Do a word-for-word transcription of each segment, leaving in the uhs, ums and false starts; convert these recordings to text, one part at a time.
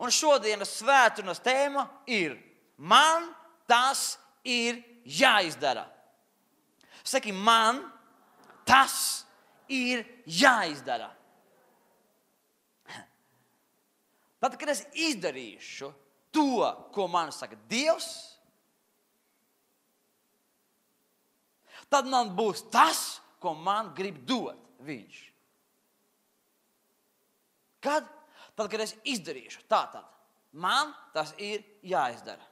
Un šodienas svētdienas tēma ir man tas ir jāizdara. Saki, man tas ir jāizdara. Tad, kad es izdarīšu to, ko man saka Dievs, tad man būs tas, ko man grib dot viņš. Kad? Tad, kad es izdarīšu. Tātad, man tas ir jāizdara.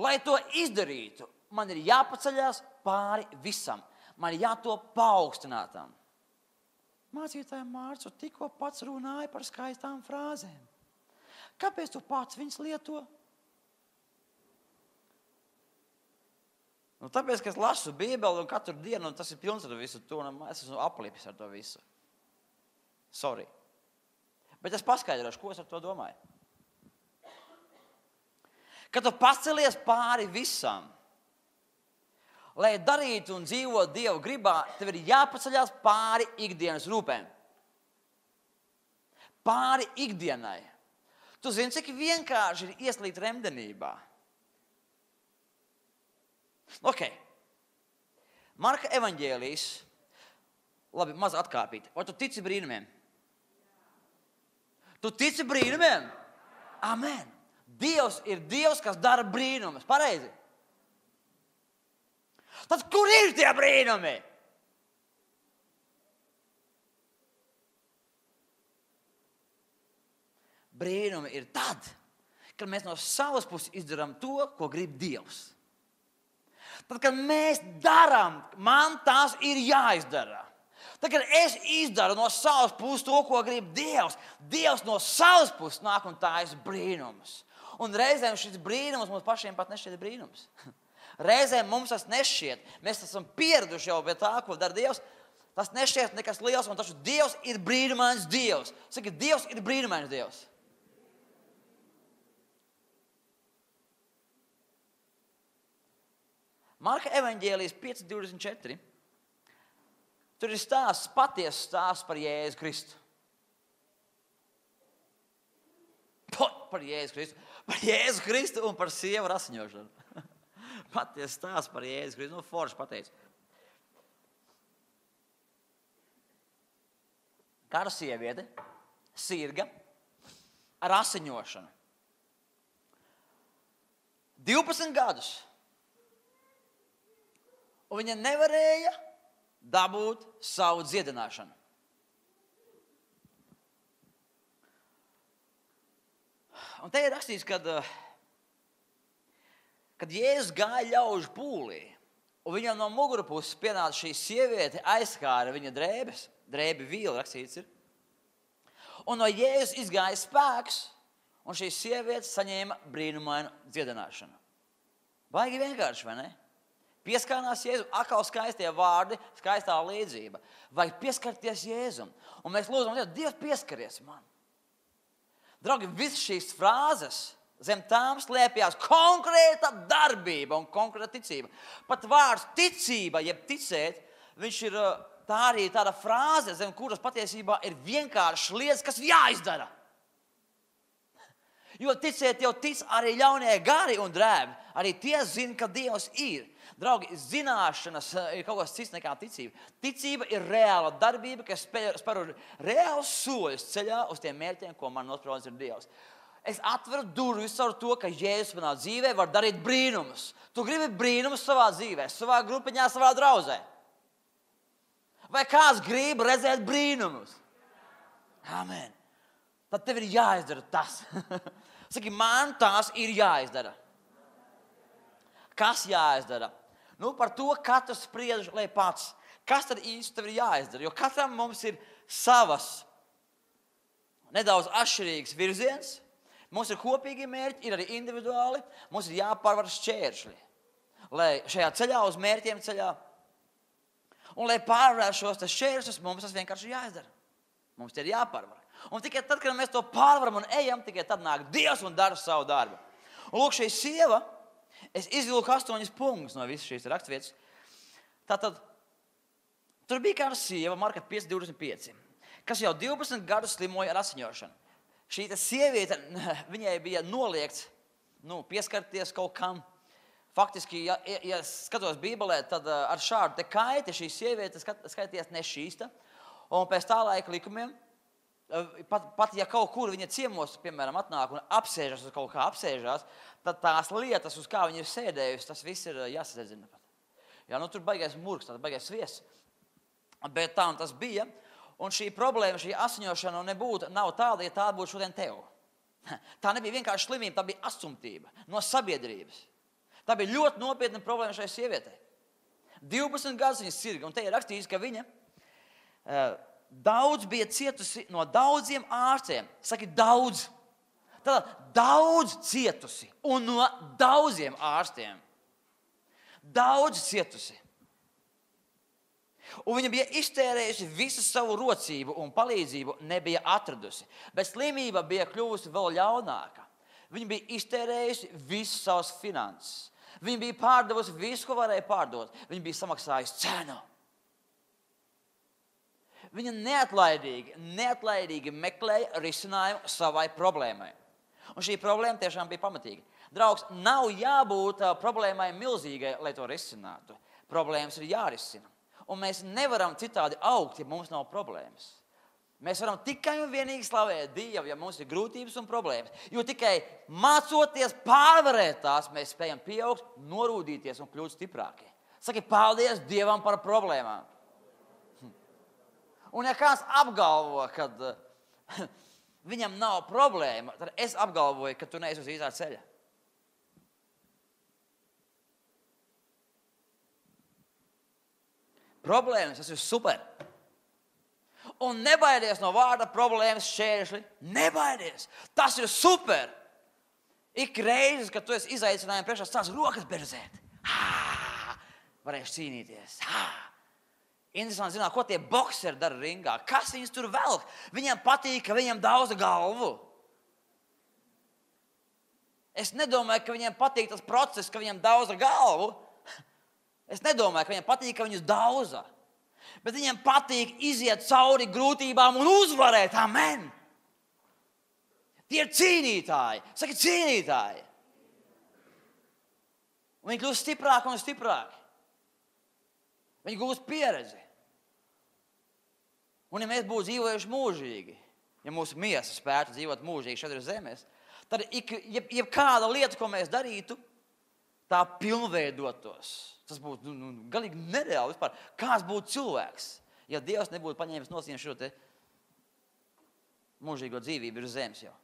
Lai to izdarītu, man ir jāpaceļās pāri visam. Man ir jātop paaugstinātam. Mācītāja Mārcu tikko pats runāja par skaistām frāzēm. Kāpēc tu pats viņas lieto? Nu, tāpēc, ka es lasu Bībeli un katru dienu, un tas ir pilns ar visu to, un es esmu aplipis ar to visu. Sorry. Bet es paskaidrošu, ko es ar to domāju. Kad tu pacelies pāri visam, lai darītu un dzīvot Dieva gribā, tev ir jāpaceļās pāri ikdienas rūpēm. Pāri ikdienai. Tu zini, cik vienkārši ir ieslīgt remdenībā. Ok. Marka evaņģēlijs. Labi, maz atkāpīt. Vai tu tici brīnumiem? Tu tici brīnumiem? Amen. Dievs ir Dievs, kas dara brīnumus. Pareizi? Tad kur ir tie brīnumi? Brīnumi ir tad, kad mēs no savas puses izdarām to, ko grib Dievs. Tad, kad mēs darām, man tas ir jāizdara. Tad, kad es izdaru no savas puses to, ko grib Dievs, Dievs no savas puses nāk un taisa brīnumus. Un reizēm šis brīnums mums pašiem pat nešķiet brīnums. Reizēm mums tas nešķiet. Mēs esam pieraduši jau pie tā, ko dara Dievs. Tas nešķiet nekas liels, un taču Dievs ir brīnumains Dievs. Saki, Dievs ir brīnumains Dievs. Marka evaņģēlijas pieci divdesmit četri. Tur ir stāsts, patiesas stāsts par Jēzu Kristu. Par Jēzu Kristu. Par Jēzu Kristu un par sievu ar asiņošanu. Patiesas stāsts par Jēzu Kristu. Nu, forši pateicu. Kāda sieviete, sirga, ar asiņošanu. divpadsmit gadus. Un viņa nevarēja dabūt savu dziedināšanu. Un te ir rakstīts, kad, kad Jēzus gāja ļaužu pūlī, un viņam no mugurpuses pienāca šī sieviete, aizskāra viņa drēbes, drēbi vīli rakstīts ir. Un no Jēzus izgāja spēks, un šī sieviete saņēma brīnumainu dziedināšanu. Baigi vienkārši, vai ne? Pieskārnās Jēzum, atkal skaistie vārdi, skaistā līdzība. Vajag pieskarties Jēzum. Un mēs lūdzam, Dievs pieskaries man. Draugi, visas šīs frāzes zem tām slēpjās konkrēta darbība un konkrēta ticība. Pat vārds ticība, jeb ticēt, viņš ir tā arī tāda frāze, zem kuras patiesībā ir vienkārši lietas, kas jāizdara. Jo ticēt jau tic arī ļaunie gari un drēbi. Arī tie zina, ka Dievs ir. Draugi, zināšanas ir kaut kas cits nekā ticība. Ticība ir reāla darbība, kas spēr reāls soļus ceļā uz tiem mērķiem, ko man nospraudis ir Dievs. Es atveru durvis ar to, ka Jēzus manā dzīvē var darīt brīnumus. Tu gribi brīnumus savā dzīvē, savā grupiņā, savā draudzē. Vai kāds grib redzēt brīnumus? Amen. Tad tev ir jāizdara tas. Saki, man tās ir jāizdara. Kas jāizdara? Nu, par to katrs spriež, lai pats. Kas tad īsti tev ir jāizdara? Jo katram mums ir savas nedaudz atšķirīgas virziens. Mums ir kopīgi mērķi, ir arī individuāli. Mums ir jāpārvar šķēršļi. Lai šajā ceļā uz mērķiem ceļā. Un lai pārvarētu šos šķēršļus, mums tas vienkārši ir jāizdara. Mums tie ir jāpārvar. Un tikai tad, kad mēs to pārvaram un ejam, tikai tad nāk Dievs un dara savu darbu. Un lūk, šī sieva, es izvilku astoņas punktus no visas šīs rakstvietas. Tātad, tur bija kāda sieva, Marka pieci divdesmit pieci, kas jau divpadsmit gadus slimoja ar asiņošanu. šī sieviete, viņai bija noliegts nu, pieskarties kaut kam. Faktiski, ja, ja skatos Bībelē, tad ar šādu te kaiti šī sieviete skaitījās nešķīsta. Un pēc tā laika likumiem, pat, pat ja kaut kur viņa ciemos, piemēram, atnāk un apsēžas uz kaut kā apsēžās, tad tās lietas, uz kā viņa ir sēdējusi, tas viss ir jāsadedzina. Jā, nu tur baigais murgs, tad baigais sviests. Bet tā un tas bija. Un šī problēma, šī asiņošana nebūtu, nav tāda, ja tā būtu šodien tev. Tā nebija vienkārši slimība, tā bija astumtība no sabiedrības. Tā bija ļoti nopietna problēma šai sievietei. divpadsmit gadus viņa sirga, un te ir rakstīts, ka viņa uh, daudz bija cietusi no daudziem ārstiem. Saki, daudz. Tātad daudz cietusi un no daudziem ārstiem. Daudz cietusi. Un viņa bija iztērējusi visu savu rocību un palīdzību nebija atradusi. Bet slimība bija kļuvusi vēl ļaunāka. Viņa bija iztērējusi visu savus finanses. Viņa bija pārdevusi visu, ko varēja pārdot. Viņa bija samaksājusi cenu. Viņa neatlaidīgi, neatlaidīgi meklēja risinājumu savai problēmai. Un šī problēma tiešām bija pamatīga. Draugs, nav jābūt uh, problēmai milzīgai, lai to risinātu. Problēmas ir jārisina. Un mēs nevaram citādi augt, ja mums nav problēmas. Mēs varam tikai un vienīgi slavēt Dievu, ja mums ir grūtības un problēmas. Jo tikai mācoties pārvarēt tās, mēs spējam pieaugt, norūdīties un kļūt stiprāki. Saki, paldies Dievam par problēmām. Un ja kāds apgalvo, ka uh, viņam nav problēma, tad es apgalvoju, ka tu neesi uz īstā ceļa. Problēmas, tas ir super. Un nebaidies no vārda problēmas šķēršļi. Nebaidies. Tas ir super. Ik reizes, kad tu esi izaicinājumi priekšā, stāsts rokas berzēt. Hā! Varēšu cīnīties. Hā! Interesanti zināt, ko tie bokseri dara ringā. Kas viņus tur velk? Viņiem patīk, ka viņiem dauza galvu. Es nedomāju, ka viņiem patīk tas process, ka viņiem dauza galvu. Es nedomāju, ka viņiem patīk, ka viņus dauza. Bet viņiem patīk iziet cauri grūtībām un uzvarēt. Amen! Tie ir cīnītāji. Saki, cīnītāji. Un viņi kļūst stiprāki un stiprāki. Viņi gūst pieredzi. Un ja mēs būtu dzīvojuši mūžīgi, ja mūsu miesa spētu dzīvot mūžīgi šeit uz zemes, tad ik, jeb, jeb kāda lieta, ko mēs darītu, tā pilnveidotos. Tas būtu nu, nu, galīgi nereāli vispār. Kāds būtu cilvēks, ja Dievs nebūtu paņēmis nosien šo te mūžīgo dzīvību uz zemes jau?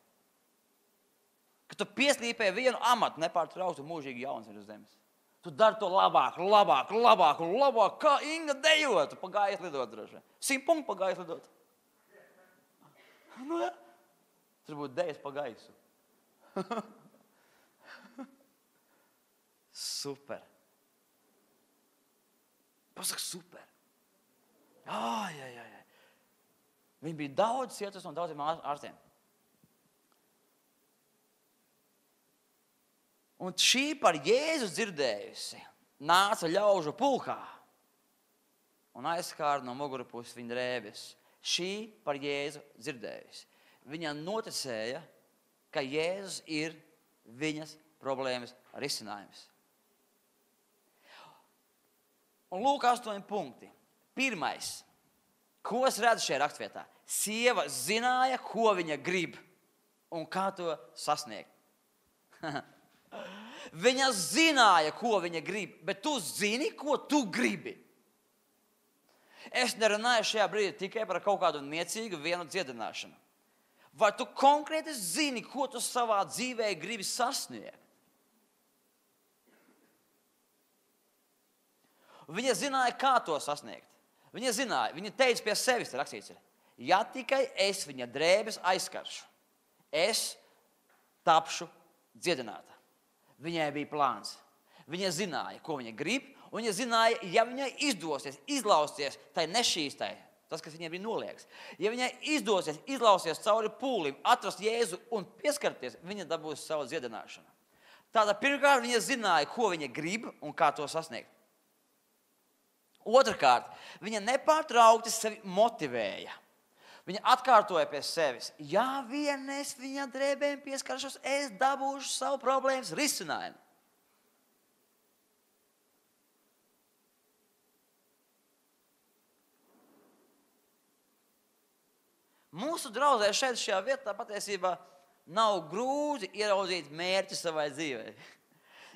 Ka tu pieslīpē vienu amatu nepārtrauktu mūžīgi jauns ir uz zemes. Tu dari to labāk, labāk, labāk un labāk, kā Inga dejot. Tu pagājies lidot droši. Simt punktu pagājies lidot. Nu, ja. Tur būtu dejas pagājusi. Super. Pasaka super. Ai, ai, ai. Viņi bija daudz cietus un daudziem ārstiem. Un šī par Jēzu dzirdējusi nāca ļaužu pulkā un aizskāra no mugurpuses viņa drēbes. Šī par Jēzu dzirdējusi. Viņa noticēja, ka Jēzus ir viņas problēmas risinājums. Un lūk, astoņi punkti. Pirmais, ko es redzu šajā rakstvietā? Sieva zināja, ko viņa grib un kā to sasniegt. Viņa zināja, ko viņa grib, bet tu zini, ko tu gribi. Es nerunāju šajā brīdī tikai par kaut kādu niecīgu vienu dziedināšanu. Vai tu konkrēti zini, ko tu savā dzīvē gribi sasniegt? Viņa zināja, kā to sasniegt. Viņa zināja, viņa teica pie sevis, rakstīts ir, ja tikai es viņa drēbes aizkaršu, es tapšu dziedināta. Viņai bija plāns. Viņa zināja, ko viņa grib, un viņa zināja, ja viņai izdosies izlausties tai nešķīstai, tas, kas viņai bija noliegts, ja viņai izdosies izlausties cauri pūlim, atrast Jēzu un pieskarties, viņa dabūs savu dziedināšanu. Tātad pirmkārt viņa zināja, ko viņa grib un kā to sasniegt. Otrakārt, viņa nepārtraukti sevi motivēja. Viņa atkārtoja pie sevis. Ja vien es viņa drēbēm pieskaršos, es dabūšu savu problēmas risinājumu. Mūsu draudzē šeit šajā vietā patiesībā nav grūti ieraudzīt mērķi savai dzīvei.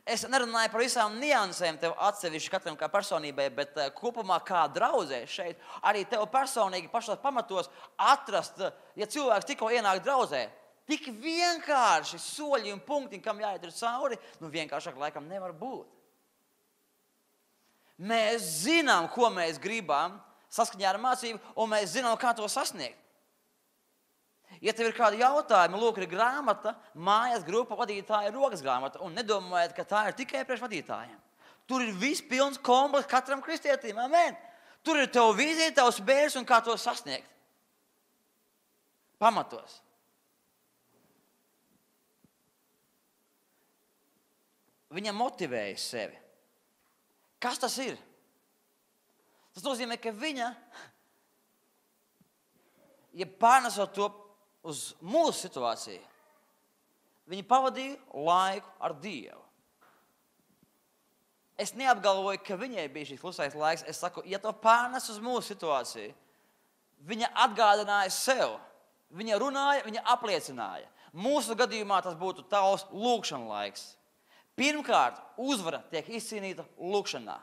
Es nerunāju par visām niansēm tev atsevišķi katram kā personībai, bet uh, kopumā kā draudzē šeit arī tev personīgi pašos pamatos atrast, uh, ja cilvēks tikko ienāk draudzē, tik vienkārši soļi un punkti, kam jāiet ir cauri, nu vienkāršāk laikam nevar būt. Mēs zinām, ko mēs gribam saskaņā ar mācību, un mēs zinām, kā to sasniegt. Ja tev ir kādi jautājumi, lūk, ir grāmata, mājas grupa vadītāja rokas grāmata, un nedomājiet, ka tā ir tikai priekš vadītājiem. Tur ir viss pilns komplekts katram kristietim, amen. Tur ir tev vīzija, tavs mērķis un kā to sasniegt. Pamatos. Viņa motivēja sevi. Kas tas ir? Tas nozīmē, ka viņa, ja pārnesot to uz mūsu situāciju, viņi pavadīja laiku ar Dievu. Es neapgalvoju, ka viņai bija šis klusais laiks. Es saku, ja to pārnes uz mūsu situāciju, viņa atgādināja sev. Viņa runāja, viņa apliecināja. Mūsu gadījumā tas būtu tavs lūkšana laiks. Pirmkārt, uzvara tiek izcīnīta lūkšanā.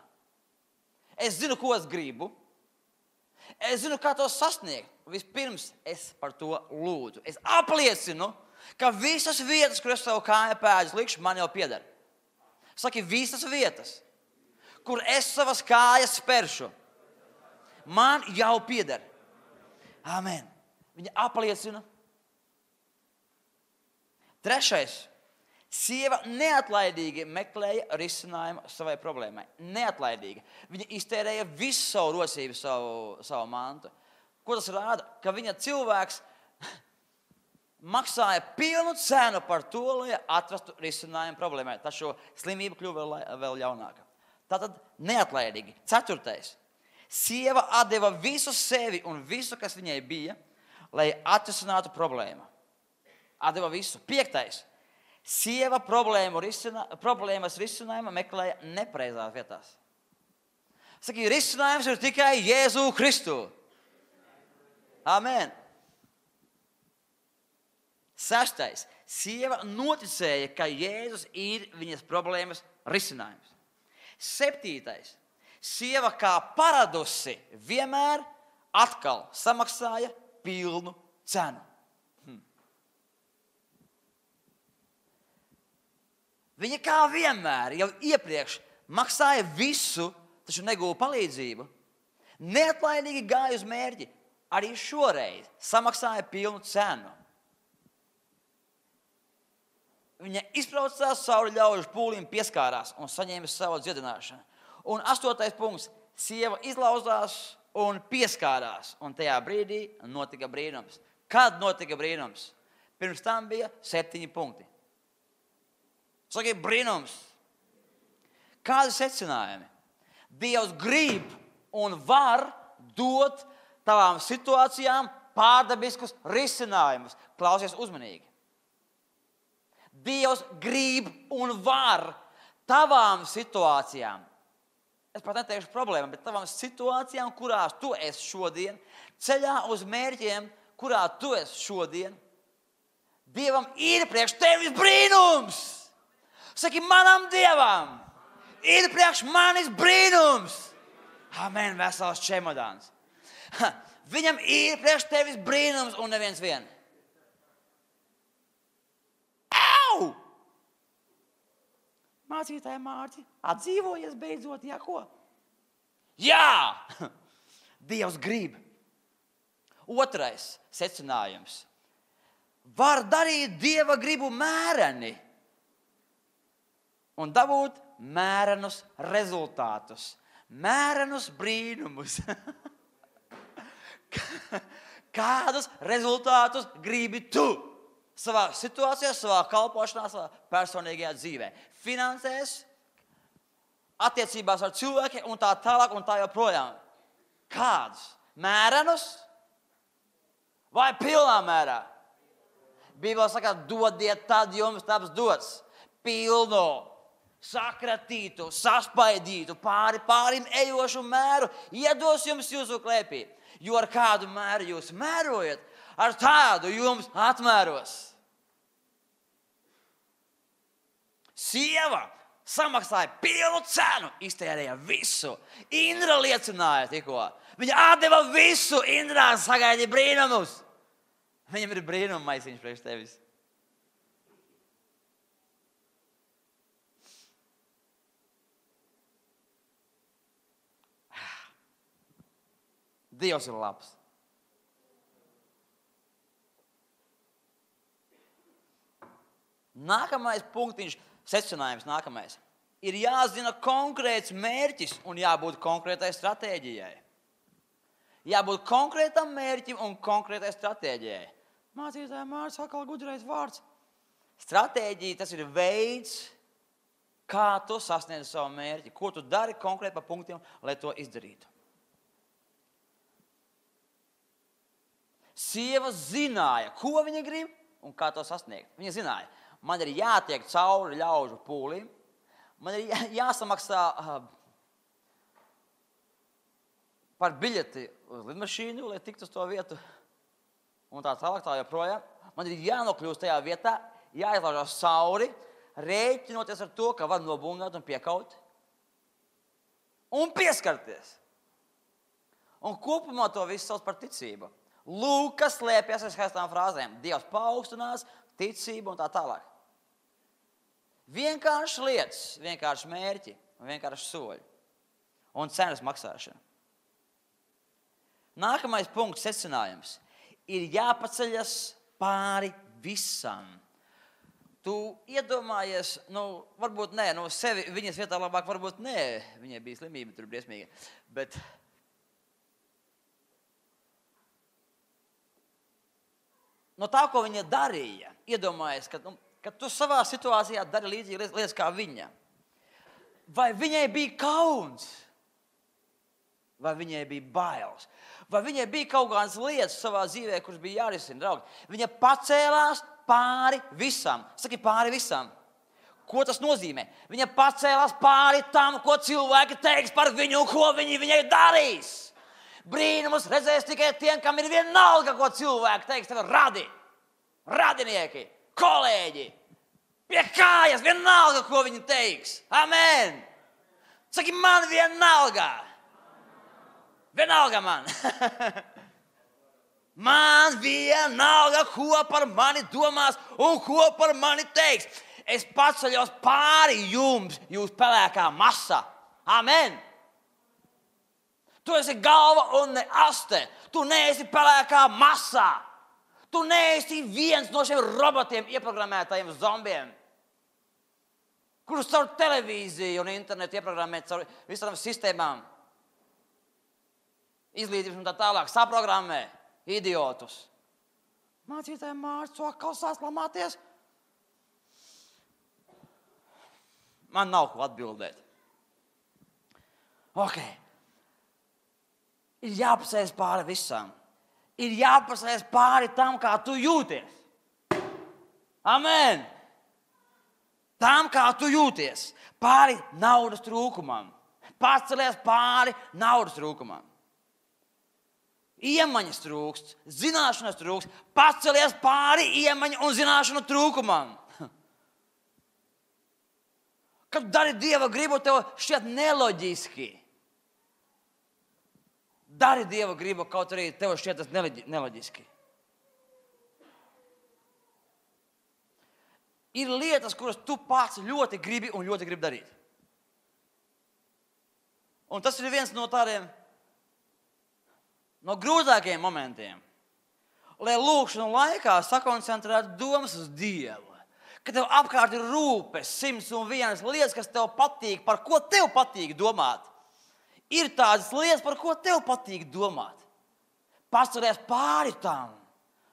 Es zinu, ko es gribu. Es zinu, kā to sasniegt. Vispirms es par to lūdzu. Es apliecinu, ka visas vietas, kur es savu kāju pēdus likšu, man jau pieder. Saki, visas vietas, kur es savas kājas spēršu, man jau pieder. Amen. Viņa apliecina. Trešais. Sieva neatlaidīgi meklēja risinājumu savai problēmai. Neatlaidīgi. Viņa iztērēja visu savu rosību, savu, savu mantu. Ko tas rāda? Ka viņa cilvēks maksāja pilnu cenu par to, lai atrastu risinājumu problēmai. Taču slimība kļuva vēl, vēl ļaunāka. Tātad neatlaidīgi. Ceturtais. Sieva atdeva visu sevi un visu, kas viņai bija, lai atrisinātu problēmu. Atdeva visu. Piektais. Sieva problēmu risinā, problēmas risinājumu meklēja nepareizās vietās. Saki, risinājums ir tikai Jēzu Kristu. Amen. Sestais. Sieva noticēja, ka Jēzus ir viņas problēmas risinājums. Septītais. Sieva kā paradusi vienmēr atkal samaksāja pilnu cenu. Viņa kā vienmēr jau iepriekš maksāja visu, taču negūva palīdzību. Neatlaidīgi gāja uz mērķi. Arī šoreiz samaksāja pilnu cenu. Viņa izbraucās cauri ļaužu pūlim, pieskārās un saņēma savu dziedināšanu. Un astotais punkts. Sieva izlauzās un pieskārās. Un tajā brīdī notika brīnums. Kad notika brīnums? Pirms tam bija septiņi punkti. Saki, brīnums. Kādi secinājumi? Dievs grib un var dot tavām situācijām pārdabiskus risinājumus. Klausies uzmanīgi. Dievs grib un var tavām situācijām. Es pat neteikšu problēmām, bet tavām situācijām, kurās tu esi šodien, ceļā uz mērķiem, kurā tu esi šodien. Dievam ir priekš tevis brīnums. Saki, manam Dievam ir priekš manis brīnums. Amen, vesels čemodāns. Ha, viņam ir priekš tevis brīnums un neviens vien. Au! Mācītāji Mārķi, atdzīvojies beidzot, jā, ko? Jā! Dievs grib. Otrais secinājums. Var darīt Dieva gribu mēreni un dabūt mērenus rezultātus, mērenus brīnumus. Kādus rezultātus gribi tu savā situācijā, savā kalpošanā, savā personīgajā dzīvē? Finansēs, attiecībās ar cilvēkiem un tā tālāk un tā joprojām. Kādus? Mērenus Vai pilnā mērā? Bībelē saka, dodiet, tad jums taps dots. Pilno, sakratītu, saspaidītu, pāri pārim ejošu mēru iedos jums jūsu klēpī. Jo ar kādu mēru jūs mērojat, ar tādu jums atmēros. Sieva samaksāja pilnu cenu, iztērēja visu. Indra liecināja tikko. Viņa atdeva visu, Indrā sagaidīja brīnumus. Viņam ir brīnuma maisiņš priekš tevis. Dievs ir labs. Nākamais punktiņš, secinājums nākamais. Ir jāzina konkrēts mērķis un jābūt konkrētai stratēģijai. Jābūt konkrētam mērķim un konkrētai stratēģijai. Mācītāja Mārcis atkal gudrais vārds. Stratēģija tas ir veids, kā tu sasniedz savu mērķi. Ko tu dari konkrēti pa punktiem, lai to izdarītu. Sieva zināja, ko viņa grib un kā to sasniegt. Viņa zināja, man ir jātiek cauri ļaužu pūlim, man ir jā, jāsamaksā uh, par biļeti uz lidmašīnu, lai tiktu uz to vietu un tā tālāk tā joprojām. Man ir jānokļūst tajā vietā, jāizlaužās cauri, rēķinoties ar to, ka var nobungāt un piekaut un pieskarties. Un kopumā to visu sauc par ticību. Lūk, kas slēpjas aiz skaistām frāzēm. Dievs paaugstinās, ticība un tā tālāk. Vienkārši lietas, vienkārši mērķi un vienkārši soļi. Un cenas maksāšana. Nākamais punkts, secinājums. Ir jāpaceļas pāri visam. Tu iedomājies, nu, varbūt nē, no sevi viņas vietā labāk, varbūt nē. Viņai bija slimība, tur briesmīga. Bet no tā, ko viņa darīja, iedomājies, ka, nu, ka tu savā situācijā dari līdzīgi lietas kā viņa. Vai viņai bija kauns? Vai viņai bija bailes? Vai viņai bija kaut kādas lietas savā dzīvē, kuras bija jārisina, draugi? Viņa pacēlās pāri visam. Saki, pāri visam. Ko tas nozīmē? Viņa pacēlās pāri tam, ko cilvēki teiks par viņu, ko viņi viņai darīs. Brīnumus redzēs tikai tiem, kam ir vienalga, ko cilvēki teiks. Tev radi, radinieki, kolēģi, pie kājas, vienalga, ko viņi teiks. Amen! Saki, man vienalga. Vienalga man. Man vienalga, ko par mani domās un ko par mani teiks. Es paceļos pāri jums, jūs pelēkā masa. Amen! Tu esi galva un ne aste. Tu neesi pelēkā masā. Tu neesi viens no šiem robotiem ieprogrammētajiem zombiem, kurus caur televīziju un internetu ieprogrammēt caur visām sistēmām. Izglītības un tā tālāk. Saprogrammē idiotus. Mācītāja Mārcis, to atkal saslamāties. Man nav ko atbildēt. Ok. Ir jāpasēs pāri visam. Ir jāpasēs pāri tam, kā tu jūties. Amen! Tam, kā tu jūties. Pāri naudas trūkumam. Pacelies pāri naudas trūkumam. Iemaņas trūkst, zināšanas trūkst. Pacelies pāri iemaņu un zināšanu trūkumam. Kad dari Dieva gribu, tev šķiet neloģiski. Dari Dieva gribu, kaut arī tev šķiet tas neloģiski. Ir lietas, kuras tu pats ļoti gribi un ļoti gribi darīt. Un tas ir viens no tādiem, no grūtākajiem momentiem. Lai lūkšanu laikā sakoncentrētu domas uz Dievu. Ka tev apkārt ir rūpes, simts un vienas lietas, kas tev patīk, par ko tev patīk domāt. Ir tādas lietas, par ko tev patīk domāt. Paceries pāri tam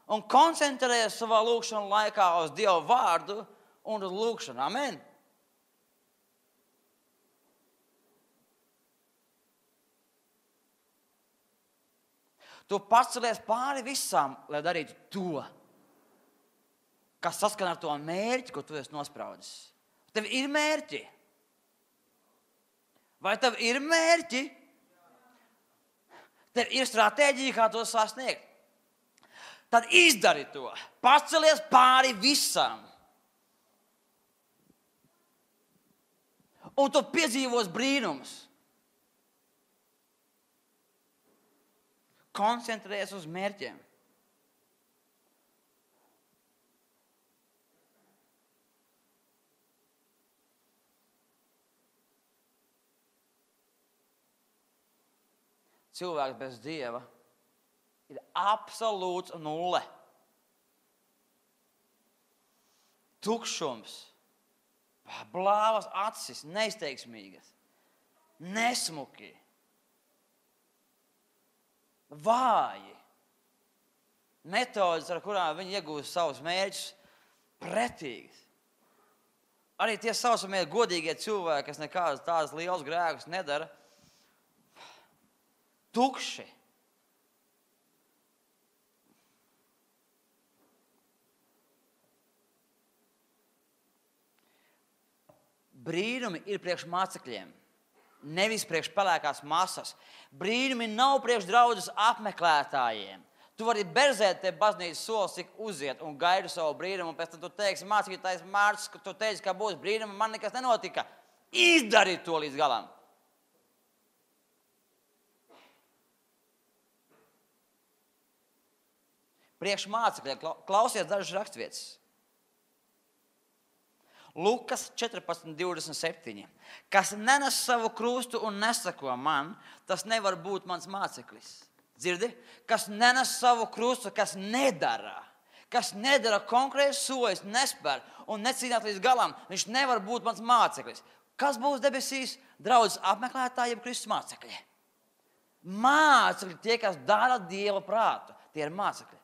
un koncentrējies savā lūkšanu laikā uz Dieva vārdu un uz lūkšanu. Amen. Tu pacelies pāri visam, lai darītu to, kas saskan ar to mērķi, ko tu esi nospraudis. Tev ir mērķi? Vai tev ir mērķi? Tev ir stratēģija, kā to sasniegt. Tad izdari to. Pacelies pāri visam. Un tu piedzīvos brīnums. Koncentrējies uz mērķiem. Cilvēks bez Dieva ir absolūts nulle. Tukšums, blāvas acis, neizteiksmīgas, nesmuki, vāji. Metodes, ar kurām viņi iegūst savus mērķus, pretīgas. Arī tie saucamie godīgie cilvēki, kas nekādas tādas lielas grēkus nedara, tukši. Brīnumi ir priekš mācekļiem, nevis priekš pelēkās masas. Brīnumi nav priekš draudzes apmeklētājiem. Tu vari berzēt te baznīcas solis, cik uziet un gaidu savu brīnumu, un pēc tam tu teiksi, mācītājs Mārcis, ka tu teici, ka būs brīnumi, man nekas nenotika. Izdari to līdz galam. Priekš mācekļiem, klausies dažas rakstvietas. Lukas četrpadsmit divdesmit septiņi. Kas nenes savu krustu un nesako man, tas nevar būt mans māceklis. Dzirdi? Kas nenes savu krustu, kas nedara, kas nedara konkrētus soļus, nespēr un necīnās līdz galam, viņš nevar būt mans māceklis. Kas būs debesīs? Draudzes apmeklētāji, jeb Kristus mācekļi. Mācekļi tie, kas dara Dieva prātu, tie ir mācekļi.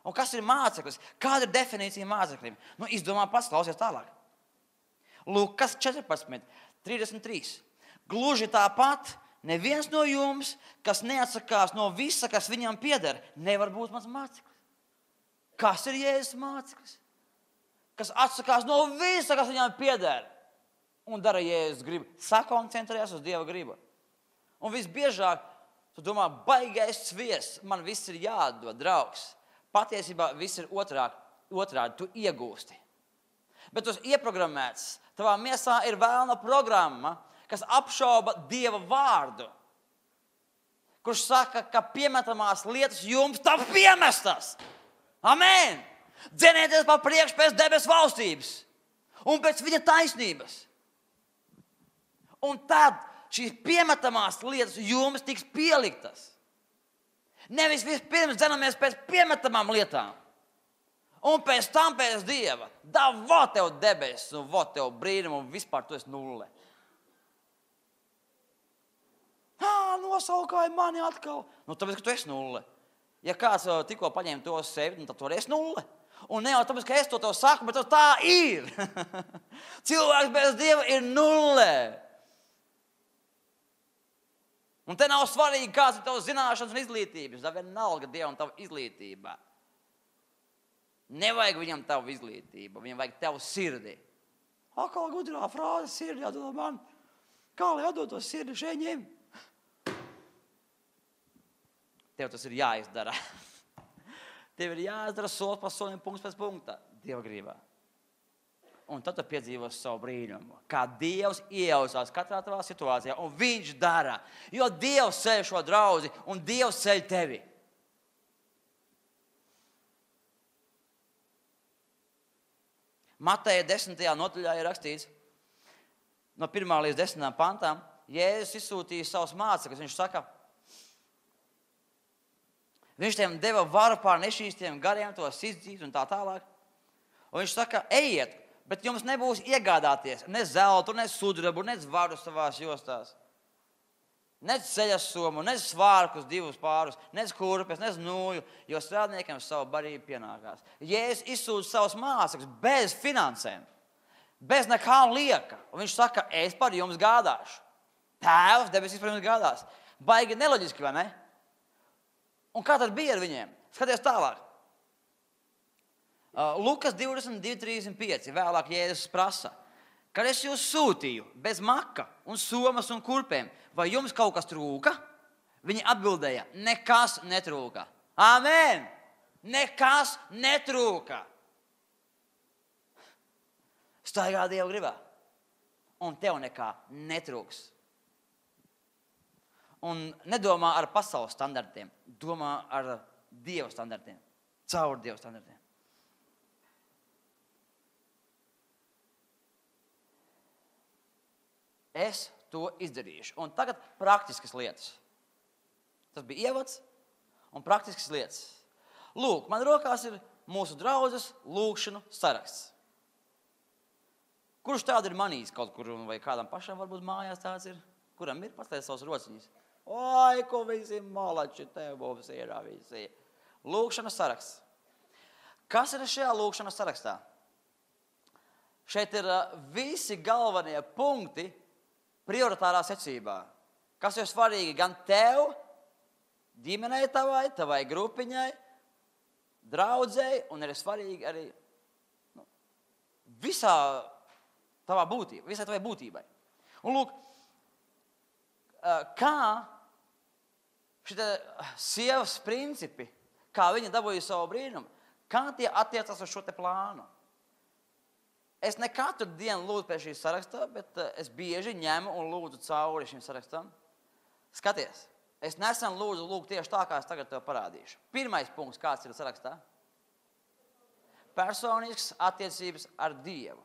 Un kas ir māceklis? Kāda ir definīcija māceklim? Nu, izdomā pats, klausies tālāk. Lukas četrpadsmit trīsdesmit trīs. Gluži tāpat neviens no jums, kas neatsakās no visa, kas viņam pieder, nevar būt mans māceklis. Kas ir Jēzus māceklis? Kas atsakās no visa, kas viņam pieder un dara Jēzus gribu. Sakoncentrējas uz Dieva gribu. Un visbiežāk, tu domā, baigais sviests, man viss ir jādod, draugs. Patiesībā viss ir otrādi, otrādi tu iegūsti. Bet tu esi ieprogrammēts. Tavā miesā ir vēlna programma, kas apšauba Dieva vārdu. Kurš saka, ka piemetamās lietas jums tav piemestas. Amen! Dzenieties pa priekšu pēc debesu valstības un pēc viņa taisnības. Un tad šīs piemetamās lietas jums tiks pieliktas. Nevis vispirms dzenamies pēc piemetamām lietām. Un pēc tam pēc Dieva. Da, vo tev debesis, un vo tev brīnumu, un vispār tu esi nulle. Ā, nosaukāja mani atkal. Nu, tāpēc, ka tu esi nulle. Ja kāds tikko paņēma to sevi, tad tu arī esi nulle. Un ne jau tāpēc, ka es to tev saku, bet tā ir. Cilvēks bez Dieva ir nulle. Un te nav svarīgi, kāds ir tavs zināšanas un izglītības. Tā vienalga Dievam tava izglītība. Nevajag viņam tavu izglītību, viņam vajag tavu sirdi. Akā gudrā frāze, sirdi jādod man. Kā lai jādod to sirdi šeņiem? Tev tas ir jāizdara. Tev ir jāizdara solis pa solim, punkts pēc punkta. Dieva grībā. Un tad tu piedzīvos savu brīnumu. Kā Dievs iejausās katrā tavā situācijā. Un viņš dara. Jo Dievs ceļ šo draudzi un Dievs ceļ tevi. Mateja desmitajā nodaļā ir rakstīts, no pirmā līdz desmitām pantām, Jēzus izsūtīja savus mācekļus. Viņš saka, viņš tiem deva varu pār nešķīstiem gariem, tos izdzīt un tā tālāk. Un viņš saka, ejiet, bet jums nebūs iegādāties ne zeltu, ne sudrabu, ne zvaru savās jostās. Ne ceļas somu, ne svārkus divus pārus, ne kurpes, ne nūju, jo strādniekiem savu barību pienākās. Jēzus izsūta savus mācekļus bez finansēm, bez nekā lieka. Un viņš saka, es par jums gādāšu. Tēvs debesīs par jums gādās. Baigi neloģiski, vai ne? Un kā tad bija ar viņiem? Skaties tālāk. Uh, Lukas divdesmit divi trīsdesmit pieci. Vēlāk Jēzus prasa. Kad es jūs sūtīju bez maka un somas un kurpēm, vai jums kaut kas trūka? Viņi atbildēja, nekas netrūka. Āmen! Nekas netrūka. Staigā Dieva gribā. Un tev nekā netrūks. Un nedomā ar pasaules standartiem. Domā ar Dieva standartiem. Caur Dieva standartiem. Es to izdarīšu. Un tagad praktiskas lietas. Tas bija ievads un praktiskas lietas. Lūk, man rokās ir mūsu draudzes lūkšanu saraksts. Kurš tādu ir manījis kaut kur, vai kādam pašam varbūt mājās tāds ir? Kuram ir pastāstīt savas rociņas? Oi, ko visi malači tev mums ir, visi. Lūkšanas saraksts. Kas ir šajā lūkšanas sarakstā? Šeit ir visi galvenie punkti prioritārā secībā. Kas ir svarīgi gan tev, ģimenei tavai, tavai grupiņai, draudzei, un ir svarīgi arī nu, visā tavā būtībā, visai tavai būtībai. Un lūk, kā šitie sievas principi, kā viņa dabūja savu brīnumu, kā tie attiecas uz šo te plānu. Es ne katru dienu lūdzu pie šīs sarakstā, bet es bieži ņemu un lūdzu cauri šim sarakstam. Skaties, es nesen lūdzu lūgt tieši tā, kā es tagad tev parādīšu. Pirmais punkts, kāds ir sarakstā? Personisks attiecības ar Dievu.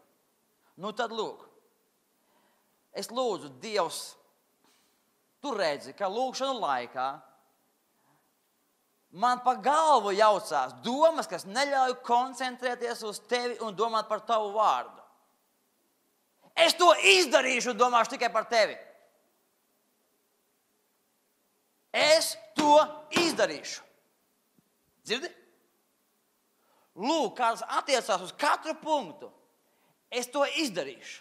Nu tad lūk, es lūdzu Dievs, tu redzi, ka lūkšanu laikā man pa galvu jaucās domas, kas neļauj koncentrēties uz tevi un domāt par tavu vārdu. Es to izdarīšu un domāšu tikai par tevi. Es to izdarīšu. Dzirdi? Lūk, kāds attiecās uz katru punktu. Es to izdarīšu.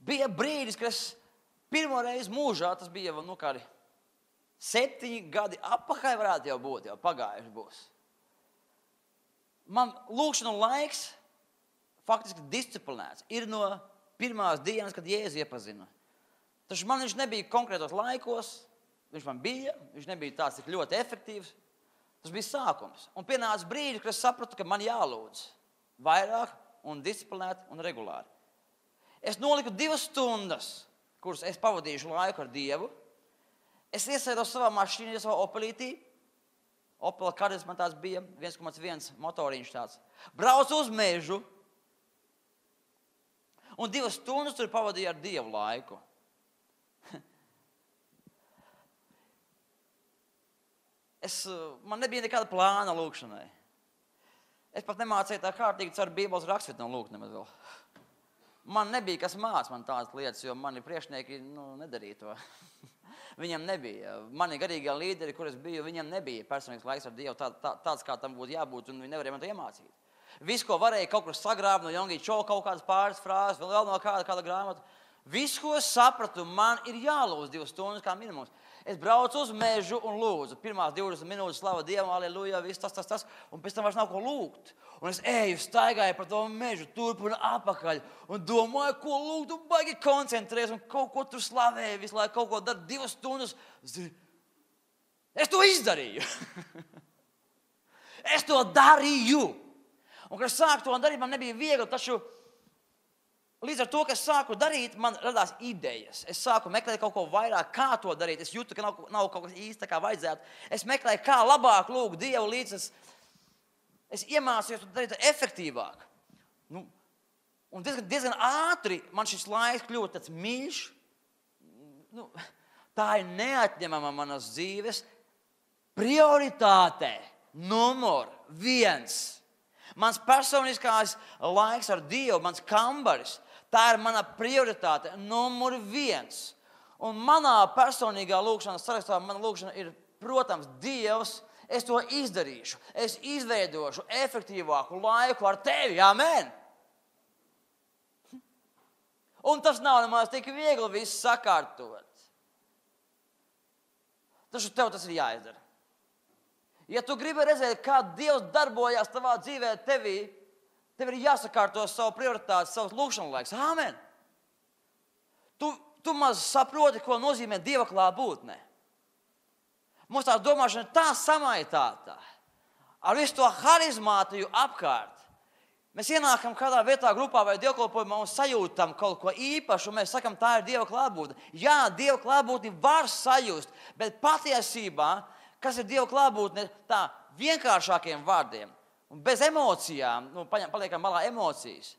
Bija brīdis, kad es pirmo reizi mūžā, tas bija nu, kādi septiņi gadi apakaļ varētu jau būt, jau pagājuši būs. Man lūkšanu laiks faktiski disciplinēts. Ir no pirmās dienas, kad Jēzu iepazinu. Taču man viņš nebija konkrētos laikos, viņš man bija, viņš nebija tāds tik ļoti efektīvs. Tas bija sākums. Un pienāca brīdis, kad es sapratu, ka man jālūdz vairāk un disciplinēt un regulāri. Es noliku divas stundas, kuras es pavadīšu laiku ar Dievu. Es iesēdos savā mašīnā, savā Opelītī. Opela Kadis man tāds bija, viens komats viens motoriņš tāds. Braucu uz mežu. Un divas stundas tur pavadīju ar Dievu laiku. Es, man nebija nekāda plāna lūkšanai. Es pat nemācīju tā kārtīgi caur Bībeles rakstvietu lūgt nemaz vēl. Man nebija kas māc man tādas lietas, jo mani priekšnieki nu, nedarīja to. Viņam nebija. Mani garīgā līderi, kur es biju, viņam nebija personīgs laiks ar Dievu tā, tā, tāds, kā tam būtu jābūt, un viņi nevarēja man to iemācīt. Viss, ko varēja kaut kur sagrābt no Jongī Čo, kaut kādas pāris frāzes, vēl no kāda, kāda grāmata. Viss, ko es sapratu, man ir jālūdz divas stundas kā minimums. Es braucu uz mežu un lūdzu. Pirmās divdesmit minūtes slava Dievam, aleluja, viss tas, tas, tas. Un pēc tam vairs nav ko lūgt. Un es eju, staigāju par to mežu, turp un apakaļ. Un domāju, ko lūgt, un baigi koncentrēs. Un kaut ko tur slavēju, visu laiku kaut ko dar divas stundas. Es to izdarīju. Es to darīju. Un, kad es sāku to darīt, man nebija viegli, taču līdz ar to, ka es sāku darīt, man radās idejas. Es sāku meklēt kaut ko vairāk, kā to darīt. Es jūtu, ka nav, nav kaut kas īsti tā kā vajadzētu. Es meklēju, kā labāk lūgt Dievu līdz es, es iemācījos to darīt efektīvāk. Nu, un diezgan, diezgan ātri man šis laiks kļūst tāds mīļš. Nu, tā ir neatņemama manas dzīves prioritāte. Numur viens. Mans personiskās laiks ar Dievu, mans kambaris. Tā ir mana prioritāte, numur viens. Un manā personīgā lūkšanas sarakstā, mana lūkšana ir, protams, Dievs, es to izdarīšu. Es izveidošu efektīvāku laiku ar tevi, amen. Un tas nav nemaz tik viegli viss sakārtot. taču tev tas ir jāizdara. Ja tu gribi redzēt, kā Dievs darbojās tavā dzīvē tevī, tev ir jāsakārto savu prioritāti, savs lūkšana laiks. Āmen! Tu, tu maz saproti, ko nozīmē Dieva klātbūtne. Mums tā domāšana ir tā samaitāta. Ar visu to harizmātiju apkārt. Mēs ienākam kādā vietā, grupā vai dievkalpojumā un sajūtam kaut ko īpašu, un mēs sakam, tā ir Dieva klātbūtne. Jā, Dieva klātbūtni var sajust, bet patiesībā, kas ir Dieva klātbūtne, tā vienkāršākiem vārdiem un bez emocijām, nu, paliekam malā emocijas,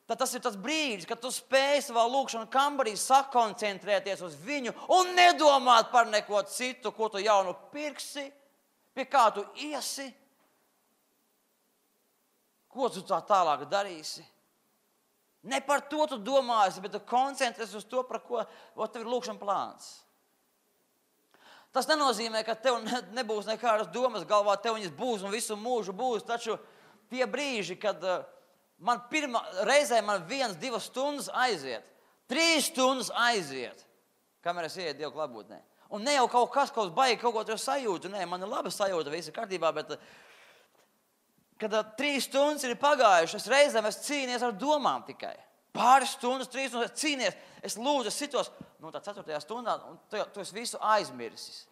tad tas ir tas brīdis, kad tu spēj savā lūkšanu kambarī sakoncentrēties uz viņu un nedomāt par neko citu, ko tu jaunu pirksi, pie kā tu iesi, ko tu tā tālāk darīsi. Ne par to tu domāsi, bet tu koncentrēsies uz to, par ko tev ir lūkšana plāns. Tas nenozīmē, ka tev nebūs nekādas domas galvā, tev viņas būs un visu mūžu būs, taču tie brīži, kad man pirmā reizē man viens, divas stundas aiziet, trīs stundas aiziet, kamēr es ieeju Dieva klātbūtnē. Un ne jau kaut kas, kaut baigi kaut ko tur sajūtu, nē, man ir laba sajūta, viss ir kārtībā, bet kad trīs stundas ir pagājušas, reizēm es cīnies ar domām tikai. Pāris stundas, trīs stundas, es cīnies, es lūdzu, es sitos, nu tā ceturtajā stundā, un tu, tu esi visu aizmirsis.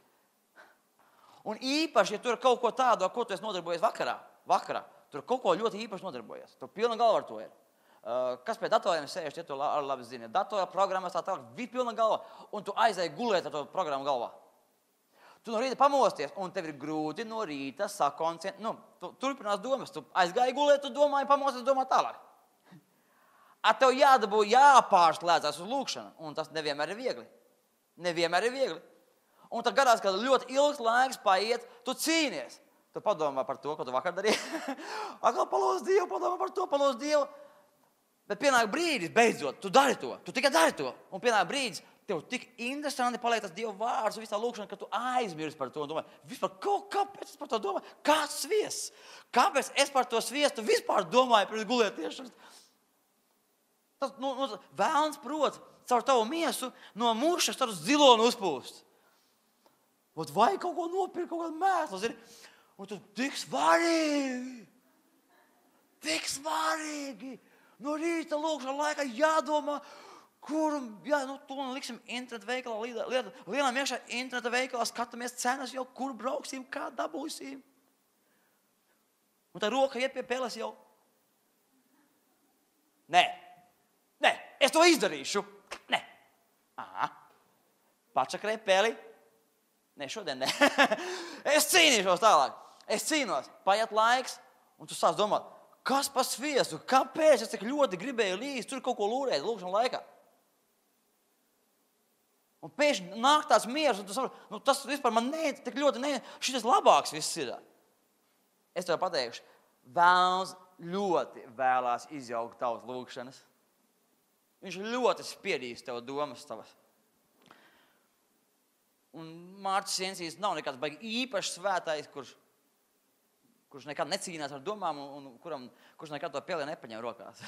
Un īpaši, ja tur ir kaut ko tādu, ar ko tu esi nodarbojies vakarā, vakarā, tur kaut ko ļoti īpaši nodarbojies. Tu pilna galva ar to ir. Uh, kas pie datoriem sēž, tie to ar labi zini. Datora programmas tā tālāk, bija pilna galva, un tu aizēji gulēt ar to programmu galvā. Tu no rīta pamosties, un tev ir grūti no rīta sakoncentrēt. Nu, tu turpinās domas, tu aizgāji gulēt, tu domāji, pamosties, domā tālāk. Ar tev jādabū jāpārslēdzās uz lūkšanu, un tas nevienmēr ir viegli. Nevienmēr ir viegli. Un tad gadās, kad ļoti ilgs laiks paiet, tu cīnies. Tu padomā par to, ko tu vakar darīji. Atkal palūdz Dievu, padomā par to, palūdz Dievu. Bet pienāk brīdis, beidzot, tu dari to, tu tikai dari to. Un pienāk brīdis, tev tik interesanti paliek tas Dieva vārds un visā lūkšana, ka tu aizmirsti par to un domā, vispār, kāpēc es par to domāju? Kāds sviests? Kāpēc es par to sviestu vispār domāju pirms gulētiešanas? Tas, nu, nu, vēlns prot caur tavu miesu no mušas tādu zilonu uzpūst. Ot, vai kaut ko nopirkt, kaut kādu mēslu, zini? Un tu tik svarīgi, tik svarīgi. No rīta lūkšana laikā jādomā, kur, jā, nu, to liksim internetu veikalā, lielām iekšā internetu veikalā, skatāmies cenas jau, kur brauksim, kā dabūsim. Un tā roka iet pie peles jau. Nē. Nē, es to izdarīšu. Nē. Aha. Pačakrē peli. Nē, šodien nē. Es cīnīšos tālāk. Es cīnos. Paiet laiks, un tu sāc domāt, kas pa sviestu? Kāpēc es tik ļoti gribēju līdz tur kaut ko lūrēt lūkšana laikā? Un pēkšņi nāk tāds miers, un tu saproti, nu tas vispār man ne, tik ļoti ne, šitas labāks viss ir. Es tev pateikšu, vēlns ļoti vēlās izjaukt tavas lūkšanas. Viņš ļoti spiedīs tev domas tavas. Un Mārcis Jensīs nav nekāds baigi īpašs svētais, kurš, kurš nekad necīnās ar domām un, un kuram, kurš nekad to peli nepaņem rokās.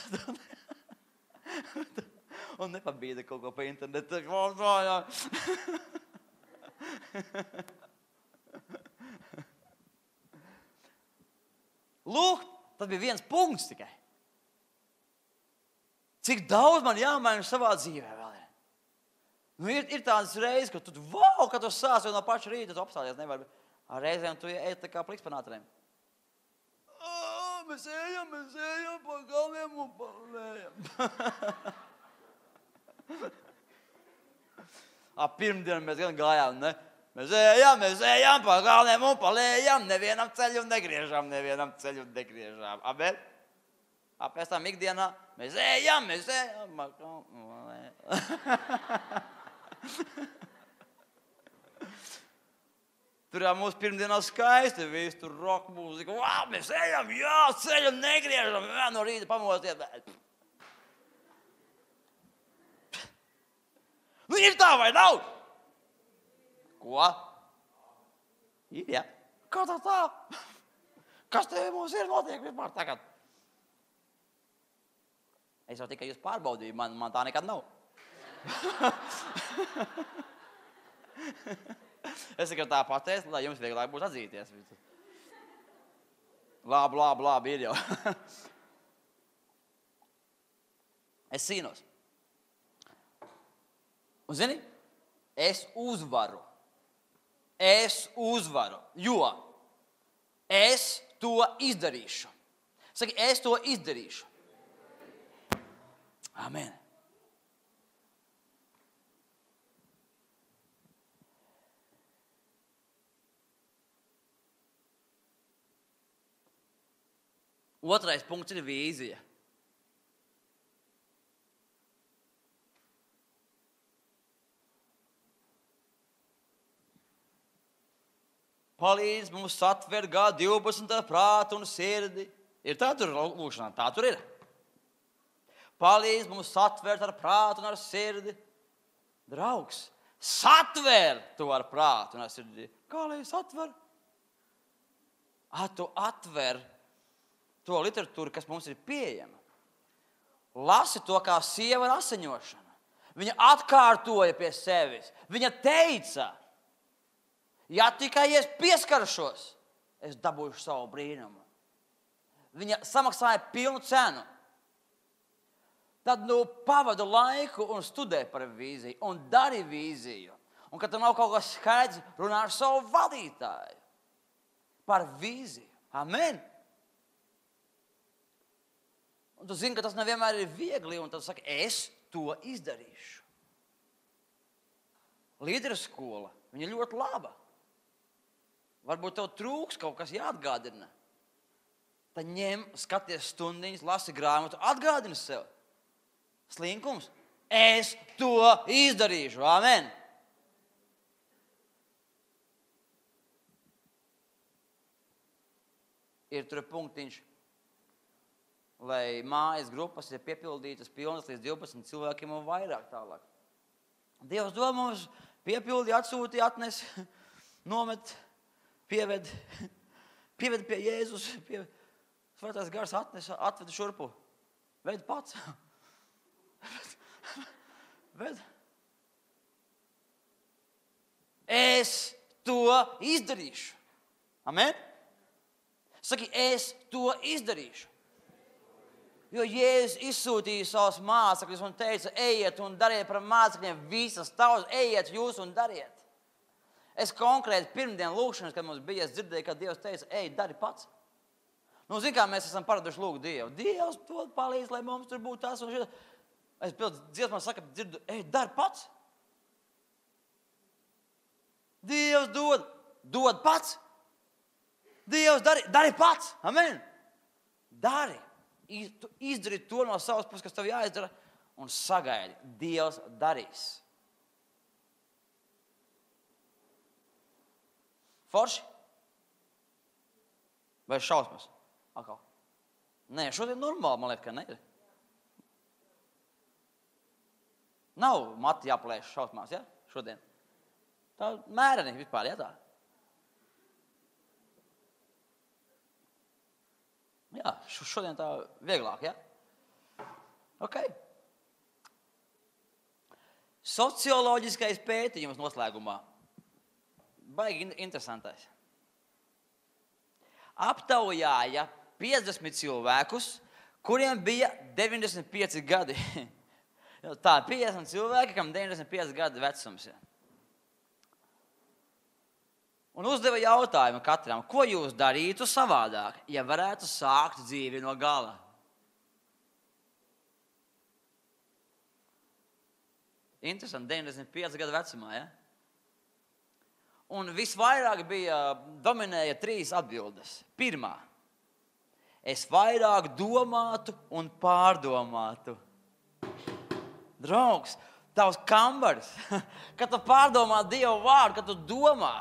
Un nepabīda kaut ko pa internetu. Lūk, tas bija viens punkts tikai. Cik daudz man jāmaina savā dzīvē vēl ir. Nu, ir, ir tādas reizes, ka tu, wow, kad tu sāc jau no paša rīta, tu apstāties nevar. Ar reizēm tu ej tā kā pliks pa nātrēm. Mēs ejam, mēs ejam pa galviem un pa lējam. Pirmdien mēs gan gājām, ne? Mēs ejam, mēs ejam pa galviem un pa lējam, nevienam ceļu negriežam, nevienam ceļu negriežam. Amen? Pēc tam ikdienā mēs ejam, mēs ejam. Tur jau mūsu pirmdienā skaisti, viss tur rock mūzika. Wow, mēs ejam, jā, ceļu negriežam, jā, no rīta pamosties. Nu, ir tā vai nav? Ko? Ir, jā. Kā tā tā? Kas te mums ir notiek vispār tagad? Es jau tikai jūs pārbaudīju, man, man tā nekad nav. Es tikai tā pateicu, lai jums vieglāk būtu atzīties. Labi, labi, labi, ir jau. Es cīnos. Un zini, es uzvaru. Es uzvaru, jo es to izdarīšu. Saki, es to izdarīšu. Amen. Otrais punkts ir vīzija. Palīdz mums satvert G divpadsmit prātu un sirdi. Ir tā tur lūkšanā, tā tur ir. Palīdz mums satvert ar prātu un ar sirdi. Draugs, satver to ar prātu un ar sirdi. Kā lai satver? A, tu atver to literatūru, kas mums ir pieejama. Lasi to kā sieva ar asiņošanu. Viņa atkārtoja pie sevis. Viņa teica, ja tikai es pieskaršos, es dabūšu savu brīnumu. Viņa samaksāja pilnu cenu. Tad nu pavadu laiku un studē par vīziju un dari vīziju. Un, kad tam nav kaut kas skaidrs, runā ar savu vadītāju par vīziju. Amen. Un tu zini, ka tas nevienmēr ir viegli, un tad saki, es to izdarīšu. Līderu skola, viņa ļoti laba. Varbūt tev trūks kaut kas jāatgādina. Tad ņem, skaties stundiņas, lasi grāmatu, atgādini sev. Slinkums. Es to izdarīšu. Amen. Ir tur punktiņš, lai mājas grupas ir piepildītas pilnas līdz divpadsmit cilvēkiem un vairāk tālāk. Dievs dod mums piepildi, atsūti, atnes, nomet, pieved, pieved pie Jēzus, pieved. Svētais gars atnes, atved šurpu. Ved pats. Ved. Es to izdarīšu. Amen? Saki, es to izdarīšu. Jo Jēzus izsūtīja savus mācekļus un teica, ejiet un dariet par mācekļiem visas tautas, ejiet jūs un dariet. Es konkrēti pirmdien lūkšanas, kad mums bija, es dzirdēju, ka Dievs teica, ej, dari pats. Nu, zin kā mēs esam paraduši lūgt Dievu. Dievs to palīdz, lai mums tur būtu tas un šis. Es pildu dziesmā saka, dzirdu, ej, dari pats. Dievs dod, dod pats. Dievs dari, dari pats. Amen. Dari. Izdari to no savas puses, kas tev jāizdara, un sagaidi. Dievs darīs. Forši? Vai šausmas? Akal. Nē, šodien normāli, man liekas, ka ne ir. Nav mati jāplēš šausmās, ja? Šodien. Tā mēreni vispār, ja tā? Jā, šodien tā vieglāk, ja? Ok. Socioloģiskais pētījums noslēgumā. Baigi interesantais. Aptaujāja piecdesmit cilvēkus, kuriem bija deviņdesmit pieci gadi. Tā, piecdesmit cilvēki, kam deviņdesmit pieci gadi vecums. Ja. Un uzdeva jautājumu katram, ko jūs darītu savādāk, ja varētu sākt dzīvi no gala? Interesanti, deviņdesmit pieci gadu vecumā, ja? Un visvairāk bija, dominēja trīs atbildes. Pirmā. Es vairāk domātu un pārdomātu. Draugs, tavs kambaris, kad tu pārdomā Dievu vārdu, kad tu domā,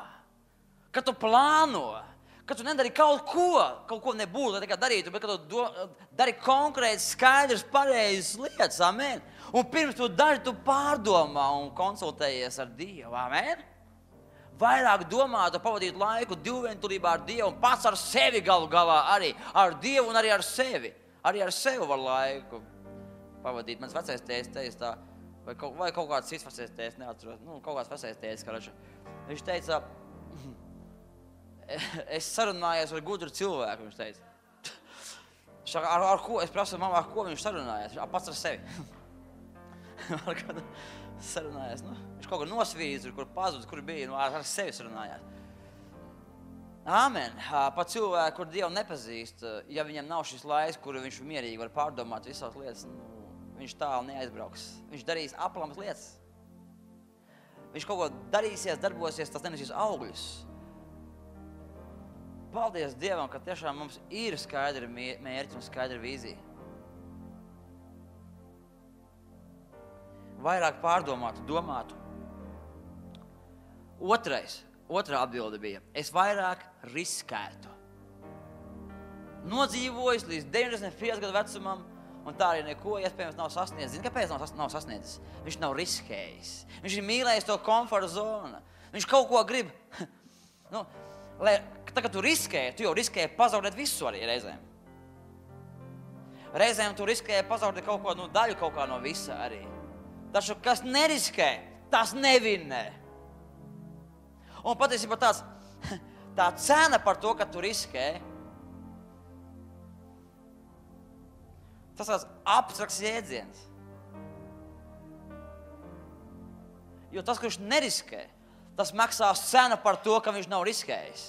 kad tu plāno, kad tu nedari kaut ko, kaut ko nebūtu, lai tikai darītu, bet kad tu do, dari konkrēti skaidrs, pareizes lietas, amen. Un pirms tu dari, tu pārdomā un konsultējies ar Dievu, amen. Vairāk domāt, pavadīt laiku divvientulībā ar Dievu un pats ar sevi galu galā arī. Ar Dievu un arī ar sevi. Arī ar sevi var laiku pavadīt. Mans vecais teica, teica tā, vai kaut, vai kaut kāds cits vecais tētis, neatceros, nu, kaut kāds vecais tētis, karača. Viņš teica, es sarunājos ar gudru cilvēku, viņš teica. Ar, ar, ar ko, es prasu mamā, ar ko viņš sarunājās, pats ar sevi. Ar kādu sarunājās, nu, viņš kaut ko nosvīdz, kur pazudz, kur bija, nu, ar, ar sevi sarunājās. Āmen. Pa cilvēku, kur Dievu nepazīst, ja viņam nav šis laiks, kuru viņš mierīgi var pārdomāt visās lietas, nu, viņš tālu neaizbrauks. Viņš darīs aplamas lietas. Viņš kaut ko darīsies, darbosies, tas nenesīs augļus. Paldies Dievam, ka tiešām mums ir skaidra mērķi un skaidra vīzija. Vairāk pārdomātu, domātu. Otrais. Otrā atbilde bija, es vairāk riskētu. Nodzīvojis līdz deviņdesmit pieci gadu vecumam, un tā arī neko iespējams nav sasniedzis. Zini, kāpēc nav, nav sasniedzis? Viņš nav riskējis. Viņš ir mīlējis to komforta zonu. Viņš kaut ko grib. Nu, lai, tā, kad tu riskēji, tu jau riskēji pazaudēt visu arī reizēm. Reizēm tu riskēji pazaudēt kaut ko, nu, daļu kaut kā no visa arī. Taču, kas neriskē, tas nevinnē. Un patiesībā tāds, tā cena par to, ka tu riskē, tas tāds abstrakts jēdziens. Jo tas, kurš neriskē, tas maksās cenu par to, ka viņš nav riskējis.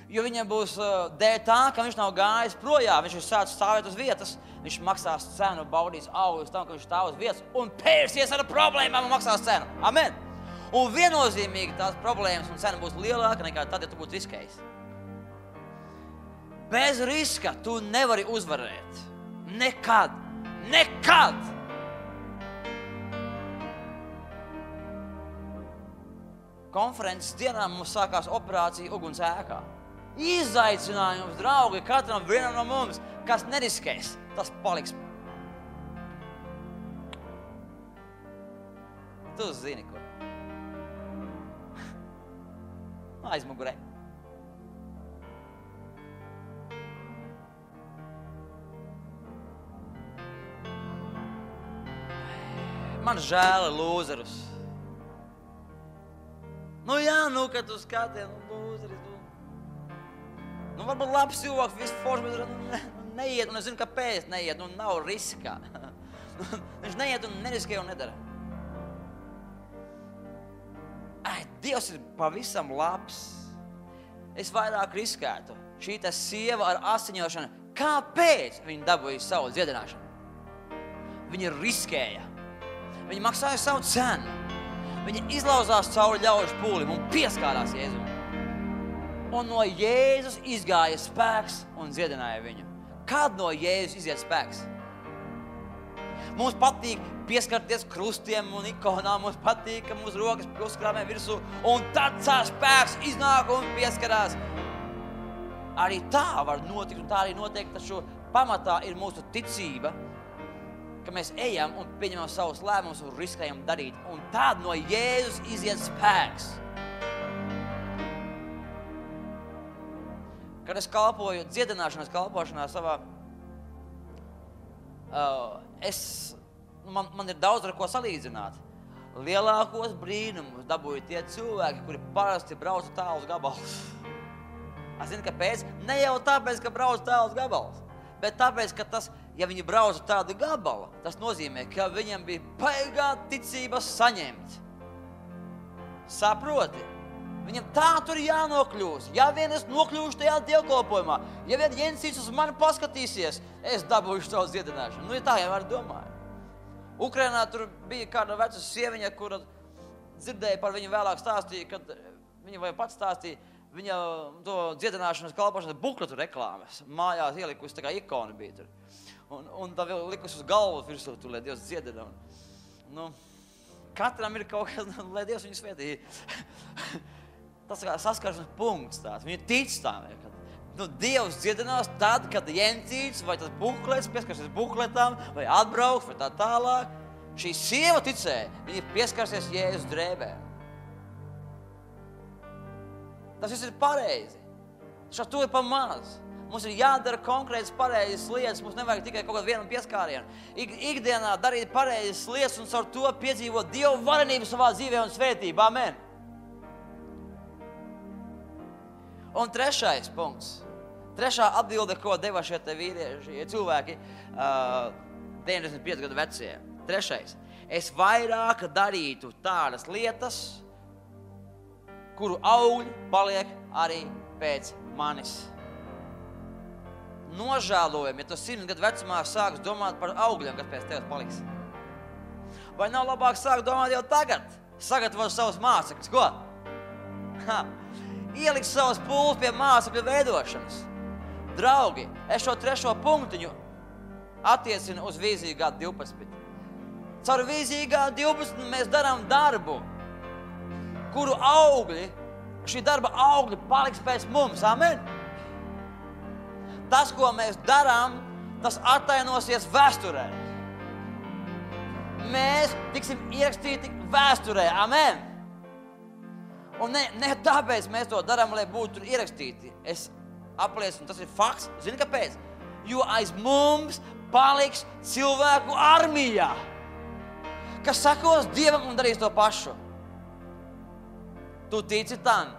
Jo viņam būs dēļ tā, ka viņš nav gājis projām, viņš ir sācis stāvēt uz vietas, viņš maksās cenu, baudīs augļus tam, ka viņš stāv uz vietas un pērsies ar problēmām un maksās cenu. Amen! Un viennozīmīgi tās problēmas un cena būs lielāka nekā tad, ja tu būtu riskējis. Bez riska tu nevari uzvarēt. Nekad. Nekad! Konferences dienā mums sākās operācija uguns ēkā. Izaicinājums, draugi, katram vienam no mums, kas neriskēs, tas paliks. Tu zini, kur. Aizmugurē. Man žēl lūzerus. Nu jā, nu, kad tu skaties, nu, lūzeris, nu. Nu, varbūt labs cilvēks, viss forši, bet nu, neiet, un es zinu, kāpēc neiet, nu, nav riskā. Viņš neiet un neriskē un nedara. Ai, Dievs ir pavisam labs. Es vairāk riskētu. Šī tā sieva ar asiņošanu. Kāpēc viņa dabūja savu dziedināšanu? Viņa riskēja. Viņa maksāja savu cenu. Viņa izlauzās cauri ļaužu pūlim un pieskārās Jēzum. Un no Jēzus izgāja spēks un dziedināja viņu. Kad no Jēzus iziet spēks? Mums patīk pieskarties krustiem un ikonām, mums patīk, ka mūsu rokas uzkrāmē virsū, un tad cās spēks iznāk un pieskarās. Arī tā var notikt, un tā arī notiek, taču pamatā ir mūsu ticība, ka mēs ejam un pieņemam savus lēmumus un riskējam darīt, un tad no Jēzus iziet spēks. Kad es kalpoju dziedināšanas kalpošanā savā, uh, es Man, man ir daudz ar ko salīdzināt. Lielākos brīnumus dabūja tie cilvēki, kuri parasti brauc tālus gabalus. Es zinu, kāpēc? Ne jau tāpēc, ka brauc tālus gabalus, bet tāpēc, ka tas, ja viņi brauc tādu gabalu, tas nozīmē, ka viņam bija baigā ticība saņemt. Saproti? Viņam tā tur jānokļūst. Ja vien es nokļūšu tajā dievkalpojumā, ja vien Jensīts uz mani paskatīsies, es dabūšu savu dziedināšanu. Nu, ja tā jau var domāt. Ukrainā tur bija kāda veca sieviņa, kura dzirdēja par viņu vēlāk stāstīja, kad viņa vai pats stāstīja, viņa to dziedināšanas kalpošanas bukletu reklāmas mājās ielikusi, tā kā ikona bija tur. Un, un tā vēl likusi uz galvu virsū, tur, lai Dievs dziedina. Nu, katram ir kaut kas, lai Dievs viņu svētī. Tas kā saskarsmes punkts tāds, viņa tic tām. Nu, Dievs dziedinās tad, kad Jensīts vai tas buklets, pieskarsies bukletām, vai atbrauks, vai tā tālāk. Šī sieva ticēja, viņa pieskarsies Jēzus drēbēm. Tas viss ir pareizi. Šā to ir pa maz. Mums ir jādara konkrētas pareizas lietas, mums nevajag tikai kaut kādu vienu pieskārienu. Ik, ikdienā darīt pareizas lietas un caur to piedzīvot Dievu varenību savā dzīvē un svētību. Amen. Un trešais punkts. Trešā atbilde, ko deva šie te vīrieši, cilvēki, uh, deviņdesmit pieci gadu vecie. Trešais. Es vairāk darītu tādas lietas, kuru augļi paliek arī pēc manis. Nožēlojami, ja tu simt gadu vecumā sāks domāt par augļiem, kas pēc tevis paliks. Vai nav labāk sākt domāt jau tagad? Sagatavot savus mācekļus, ko? Ha. Ielikt savus pūles pie mācekļu veidošanas. Draugi, es šo trešo punktiņu attiecinu uz vīziju gadu divpadsmit. Caur vīziju gadu divpadsmit mēs darām darbu, kuru augļi, šī darba augļi paliks pēc mums. Amen? Tas, ko mēs darām, tas attainosies vēsturē. Mēs tiksim ierakstīti vēsturē. Amen? Un ne, ne tāpēc mēs to darām, lai būtu ierakstīti. Es apliecinu, tas ir fakts. Zini, kāpēc? Jo aiz mums paliks cilvēku armijā, kas sakos Dievam un darīs to pašu. Tu tici tam,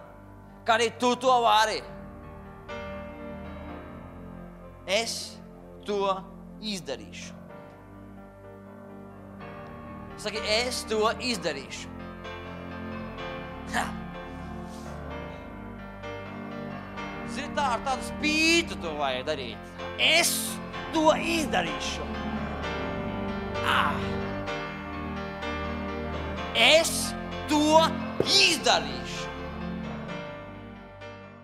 ka arī tu to vari. Es to izdarīšu. Saki, es to izdarīšu. Ha. Zini, tā ar tādu spītu to vajag darīt. Es to izdarīšu. Ah. Es to izdarīšu.